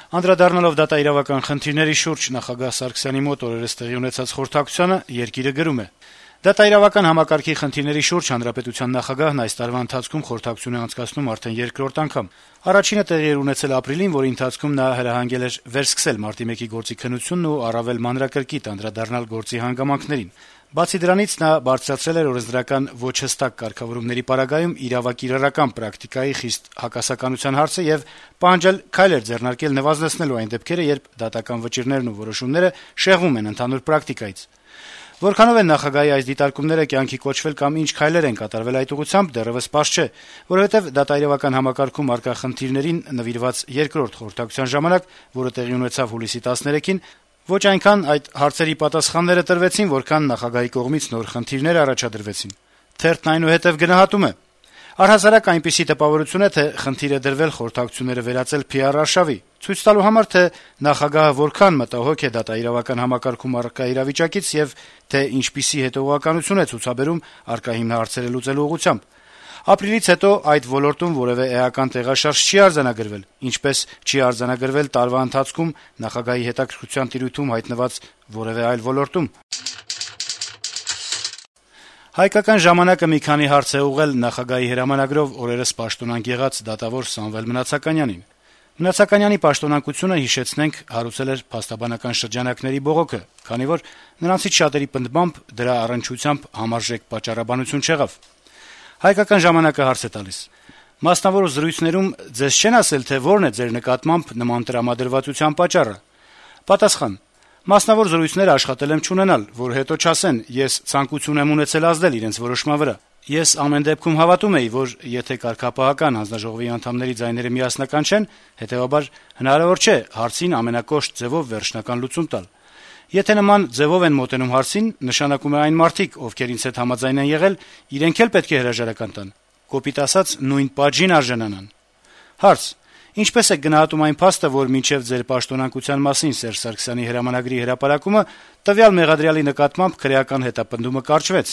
Անդրադառնալով դատաիրավական խնդիրների շուրջ նախագահ Սարգսյանի մոտ օրերս տեղի ունեցած խորհրդակցությանը «Երկիր»-ը գրում է. - «Դատաիրավական համակարգի խնդիրների շուրջ հանրապետության նախագահն այս տարվա ընթացքում խորհրդակցություն է անցկացնում արդեն երկրորդ անգամ: Առաջինը տեղի էր ունեցել ապրիլին, որի ընթացքում նա հրահանգել էր վերսկսել Մարտի 1-ի գործի քննությունն ու առավել մանրակրկիտ անդրադառնալ գործի հանգամանքներին: Բացի դրանից, նա բարձրացրել էր օրենսդրական ոչ հստակ կարգավորումների պարագայում իրավակիրառական պրակտիկայի խիստ հակասականության հարցը եւ պահանջել քայլեր ձեռնարկել նվազեցնելու այն դեպքերը, երբ դատական վճիռներն ու որոշումները շեղվում են ընդհանուր պրակտիկայից: Որքանով են նախագահի այս դիտարկումները կյանքի կոչվել կամ ինչ քայլեր են կատարվել այդ ուղղությամբ, դեռեւս պարզ չէ, որովհետեւ դատաիրավական համակարգում առկա խնդիրներին նվիրված երկրորդ խորհրդակցության ժամանակ, որը տեղի ունեցավ հուլիսի 13-ին, ոչ այնքան այդ հարցերի պատասխանները տրվեցին, որքան նախագահի կողմից նոր խնդիրներ առաջադրվեցին»: Թերթն այնուհետեւ գնահատում է. - «Առհասարակ այնպիսի տպավորություն է, թե խնդիր է դրվել խորհրդակցությունները վերածել PR արշավի, ցույց տալու համար, թե նախագահը որքան մտահոգ է դատաիրավական համակարգում առկա իրավիճակից եւ թե ինչպիսի հետեւողականություն է ցուցաբերում առկա հիմնահարցերը լուծելու ուղղությամբ: Ապրիլից հետո այդ ոլորտում որեւէ էական տեղաշարժ չի արձանագրվել, ինչպես չի արձանագրվել տարվա ընթացքում նախագահի հետաքրքրության տիրույթում հայտնված որեւէ այլ ոլորտում»: «Հայկական ժամանակ»-ը մի քանի հարց է ուղղել նախագահի հրամանագրով օրերս պաշտոնանկ եղած դատավոր Սամվել Մնացականյանին: Մնացականյանի պաշտոնակությունը, հիշեցնենք, հարուցել էր փաստաբանական շրջանակների բողոքը, քանի որ նրանցից շատերի պնդմամբ դրա առնչությամբ համարժեք պատճառաբանություն չեղավ: «Հայկական ժամանակ»-ը հարց է տալիս. - «Մասնավոր զրույցներում ձեզ չեն ասել, թե որն է ձեր նկատմամբ նման տրամադրվածության պատճառը»: Պատասխան. - «Մասնավոր զրույցներ աշխատել եմ չունենալ, որ հետո չասեն՝ ես ցանկություն եմ ունեցել ազդել իրենց որոշման վրա: Ես ամեն դեպքում հավատում էի, որ եթե կարգապահական հանձնաժողովի անդամների ձայները միասնական չեն, հետեւաբար հնարավոր չէ հարցին ամենակոշտ ձեւով վերջնական լուծում տալ: Եթե նման ձեւով են մոտենում հարցին, նշանակում է այն մարդիկ, ովքեր ինձ հետ համաձայն են եղել, իրենք էլ պետք է հրաժարական տան, կոպիտ ասած՝ նույն պատժին արժանանան»: Հարց. - «Ինչպես եք գնահատում այն փաստը, որ մինչեւ ձեր պաշտոնակության մասին Սերժ Սարգսյանի հրամանագրի հրապարակումը տվյալ մեղադրյալի նկատմամբ քրեական հետապնդումը կարճվեց,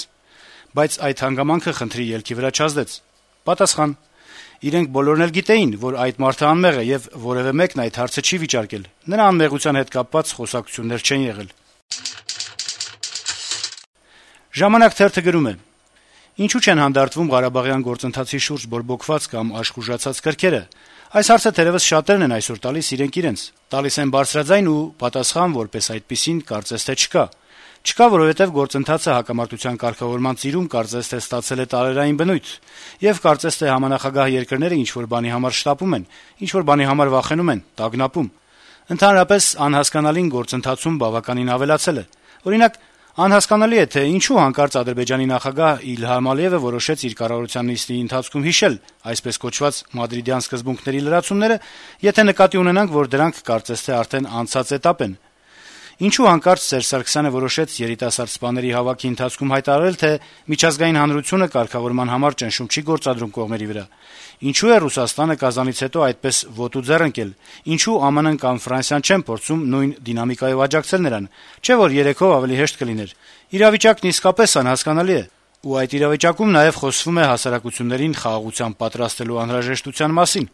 բայց այդ հանգամանքը խնդրի ելքի վրա չազդեց»: Պատասխան. - «Իրենք բոլորն էլ գիտեին, որ այդ մարդը անմեղ է եւ որեւէ մեկն այդ հարցը չի վիճարկել: Նրա անմեղության հետ կապված խոսակցություններ չեն եղել»: «Ժամանակ» թերթը գրում է. - «Ինչու չեն հանդարտվում ղարաբաղյան գործընթացի շուրջ բորբոքված կամ աշխուժացած կրքերը: Այս հարցը թերեւս շատերն են այսօր տալիս իրենք իրենց: Տալիս են բարձրաձայն ու պատասխան որպես այդպիսին կարծես թե չկա: Չկա, որովհետեւ գործընթացը հակամարտության կարգավորման ծիրում կարծես թե ստացել է տարերային բնույթ, եւ կարծես թե համանախագահ երկրները ինչ-որ բանի համար շտապում են, ինչ-որ բանի համար վախենում են, տագնապում: Ընդհանրապես անհասկանալին գործընթացում բավականին ավելացել է: Օրինակ, անհասկանալի է, թե ինչու հանկարծ Ադրբեջանի նախագահ Իլհամ Ալիևը որոշեց իր կառավարության նիստի ընթացքում հիշել այսպես կոչված մադրիդյան սկզբունքների լրացումները, եթե նկատի ունենանք, որ դրանք կարծես թե արդեն անցած էտապ են: Ինչու հանկարծ Սերժ Սարգսյանը որոշեց երիտասարդ սպաների հավաքի ընթացքում հայտարարել, թե միջազգային հանրությունը կարգավորման համար ճնշում չի գործադրում կողմերի վրա: Ինչու է Ռուսաստանը Կազանից հետո այդպես ոտու ձեռ ընկել: Ինչու ԱՄՆ-ն կամ Ֆրանսիան չեն փորձում նույն դինամիկայով աջակցել նրան: Չէ՞ որ երեքով ավելի հեշտ կլիներ: Իրավիճակն իսկապես անհասկանալի է: Ու այդ իրավիճակում նաեւ խոսվում է հասարակություններին խաղաղության պատրաստելու անհրաժեշտության մասին»: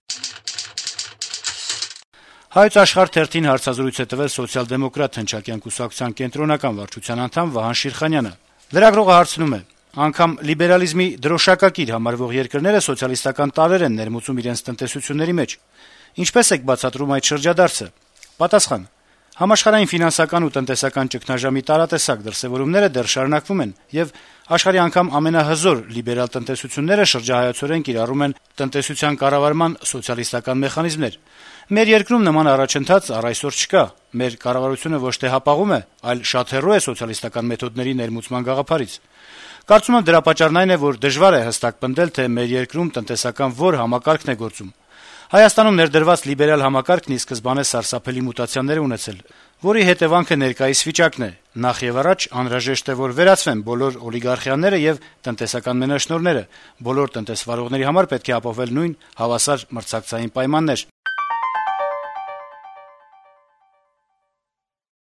«Հայոց Աշխարհ» թերթին հարցազրույց է տվել սոցիալ-դեմոկրատ հնչակյան կուսակցության կենտրոնական վարչության անդամ Վահան Շիրխանյանը: Լրագրողը հարցնում է. - «Անգամ լիբերալիզմի դրոշակակիր համարվող երկրները սոցիալիստական տարրեր են ներմուծում իրենց տնտեսությունների մեջ: Ինչպե՞ս եք բացատրում այդ շրջադարձը»: Պատասխան. - «Համաշխարհային ֆինանսական ու տնտեսական ճգնաժամի տարատեսակ դրսեւորումները դեռ շարունակվում են, եւ աշխարհի անգամ ամենահզոր լիբերալ տնտեսությունները շրջահայացորեն կիրառում են տնտեսության կառավարման սոցիալիստական մեխանիզմներ: Մեր երկրում նման առաջընթաց առ այսօր չկա: Մեր կառավարությունը ոչ թե հապաղում է, այլ շատ հեռու է սոցիալիստական մեթոդների ներմուծման գաղափարից: Կարծում եմ, դրա պատճառն այն է, որ դժվար է հստակ պնդել, թե մեր երկրում տնտեսական որ համակարգն է գործում: Հայաստանում ներդրված լիբերալ համակարգն ի սկզբանե սարսափելի մուտացիաներ է ունեցել, որի հետեւանքը ներկայիս վիճակն է: Նախեւառաջ անհրաժեշտ է, որ վերացվեն բոլոր օլիգարխիաները եւ տնտեսական մենաշնորհները: Բոլոր տնտեսվարողների համար պետք է ապահովել նույն հավասար մրցակցային պայմաններ»: